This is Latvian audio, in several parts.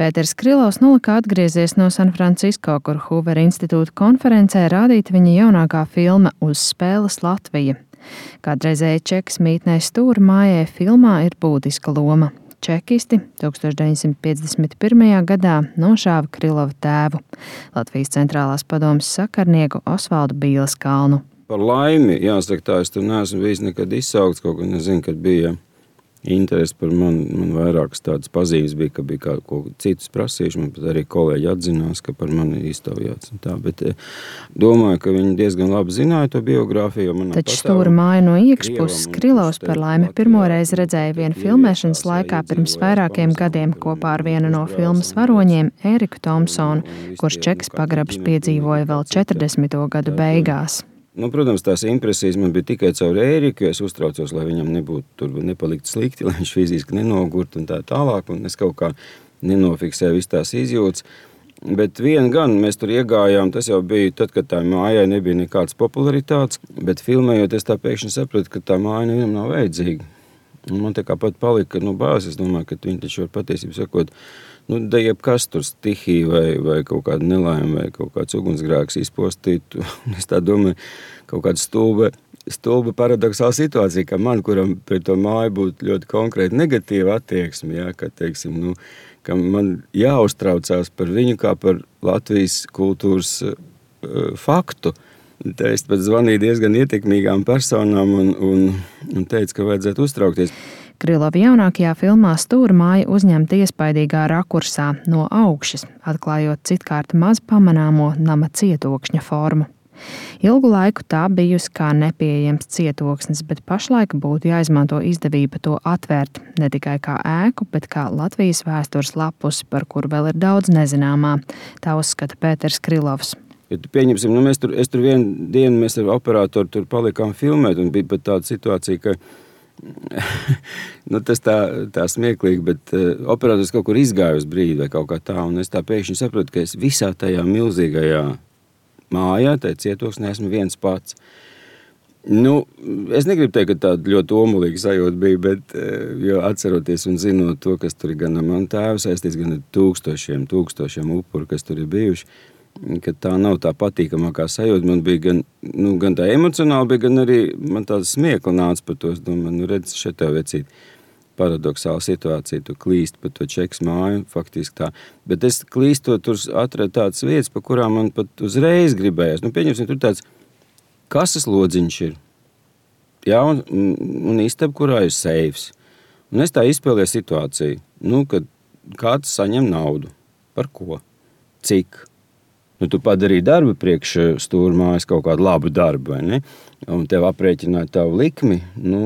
Pēters Krilovs nolika atgriezies no San Francisco, kur Hoovera institūta konferencē rādīta viņa jaunākā filma Uz spēles Latvija. Kādreizēji Čekas mītnē Stūrmājai filmā ir būtiska loma. Čekisti 1951. gadā nošāva Krilova tēvu, Latvijas centrālās padomes sakarnieku Osvaldu Bīleskalnu. Par laimi, jāsaka tā, es tur neesmu bijis nekad izsaukts, kaut ko nezinu, kad bija interesi par mani. Man vairākas tādas pazīmes bija, ka bija kaut ko citus prasījuši, man pat arī kolēģi atzinās, ka par mani iztaujāts un tā, bet domāju, ka viņi diezgan labi zināja to biogrāfiju. Taču Stūrmāju no iekšpuses Krilovs par laimi pirmoreiz redzēja vienu filmēšanas laikā pirms vairākiem gadiem kopā ar vienu no filmas varoņiem Ēriku Tomsonu, kurš Čekas pagrabs piedzīvoja vēl 40. gadu beigās. Protams, tās impresijas man bija tikai caur Ēriku, jo es uztraucos, lai viņam nepalikt slikti, lai viņš fiziski nenogurt un tā tālāk, un es kaut kā nenofiksēju visu tās izjūtas. Bet vien gan mēs tur iegājām, tas jau bija tad, kad tā mājai nebija nekāds popularitātes, bet filmējot es tā pēkšņi sapratu, ka tā māja nevienam nav vajadzīga. Un man tā kā pat palika, bāzes, es domāju, ka viņi taču var patiesību sakot, da jebkas tur stihija vai kaut kāda nelaime vai kaut kāds ugunsgrēks izpostīt. Es tā domāju, kaut kāda stulba paradoxāla situācija, ka man, kuram pret to māju būtu ļoti konkrēti negatīva attieksme, ja, ka, teiksim, ka man jāuztraucās par viņu kā par Latvijas kultūras faktu. Tā es pat zvanīju diezgan ietekmīgām personām un teicu, ka vajadzētu uztraukties. Krilova jaunākajā filmā Stūrmāja uzņemta iespaidīgā rakursā no augšas, atklājot citkārt maz pamanāmo nama cietokšņa formu. Ilgu laiku tā bijusi kā nepieejams cietoksnis, bet pašlaik būtu jāizmanto izdevība to atvērt ne tikai kā ēku, bet kā Latvijas vēstures lapusi, par kuru vēl ir daudz nezināmā. Tā uzskata Pēters Krilovs. Ja pieņemsim, es tur vienu dienu mēs ar operatoru tur palikām filmēt, un bija pat tāda situācija, ka tas tā smieklīgi, bet operators kaut kur izgāja uz brīdi vai kaut kā tā, un es tā pēkšņi saprotu, ka es visā tajā milzīgajā mājā, tajā cietoksnē esmu viens pats. Es negribu teikt, ka tāda ļoti omulīga sajūta bija, bet jo atceroties un zinot to, kas tur ir gan ar manu tēvu saistīts, gan ar tūkstošiem upuru, kas tur ir bijuši, ka tā nav tā patīkamākā sajūta. Man bija gan tā emocionāli, bija gan arī man tāda smiekla nāca par to. Es domāju, redz, šeit tev vecīt paradoxāla situācija, tu klīst pa to Čekas māju, faktiski tā. Bet es klīstot tur atradu tādas vietas, pa kurām man pat uzreiz gribējās. Pieņemsim, tur tāds kases lodziņš ir. Jā, un istaba, kurā ir seifs. Un es tā izspēlēju situāciju, kad kāds saņem naudu. Par ko? Cik? Tu padarīji darbu priekš Stūrmājas kaut kādu labu darbu, vai ne? Un tev aprēķināja tavu likmi,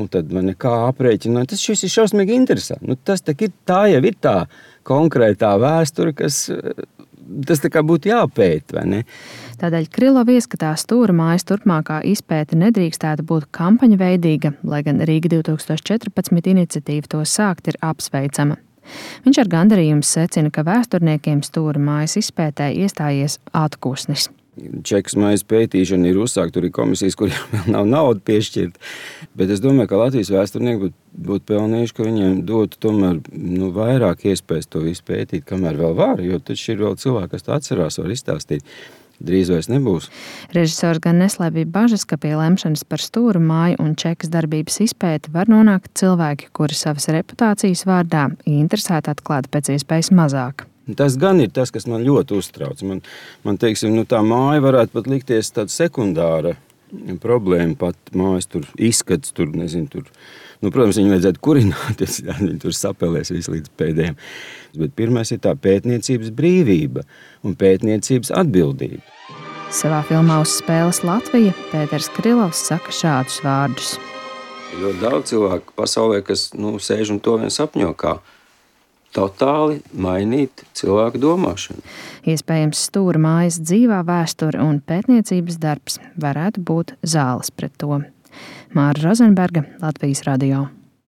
tad vai nekā aprēķināja. Tas šis ir šausmīgi interesanti. Tā jau ir tā konkrētā vēsture, kas tas tā kā būtu jāpēt, vai ne? Tādēļ Krilova ieskatā Stūrmājas turpmākā izpēte nedrīkstētu būt kampaņveidīga, lai gan Rīga 2014 iniciatīva to sākt ir apsveicama. Viņš ar gandarījumu secina, ka vēsturniekiem Stūrmājas izpētē iestājies atkusnis. Čekas mājas pētīšana ir uzsākt, tur ir komisijas, kuriem vēl nav nauda piešķirt, bet es domāju, ka Latvijas vēsturnieki būtu pelnījuši, ka viņiem dotu tomēr vairāk iespējas to visu pētīt, kamēr vēl var, jo taču ir vēl cilvēki, kas tā atcerās, var izstāstīt. Drīz vairs nebūs. Režisors gan neslēpj bažas, ka pie lemšanas par Stūrmāju un Čekas darbības izpēti var nonākt cilvēki, kuri savas reputācijas vārdā interesēti atklāt pēc iespējas mazāk. Tas gan ir tas, kas man ļoti uztrauc. Man teiksim, tā māja varētu pat likties tāda sekundāra problēma, pat mājas tur izskats, tur, nezinu, tur. Protams, viņu vajadzētu kurināt, viņi tur sapelēs visu līdz pēdējiem. Bet pirmais ir tā pētniecības brīvība un pētniecības atbildība. Savā filmā Uz spēles Latvija Pēters Krilovs saka šādus vārdus. Ļoti daudz cilvēku pasaulē, kas sēž un to vien sapņo, kā totāli mainīt cilvēku domāšanu. Iespējams, Stūrmājas dzīvā vēsture un pētniecības darbs varētu būt zāles pret to. Māra Rozenberga, Latvijas radio.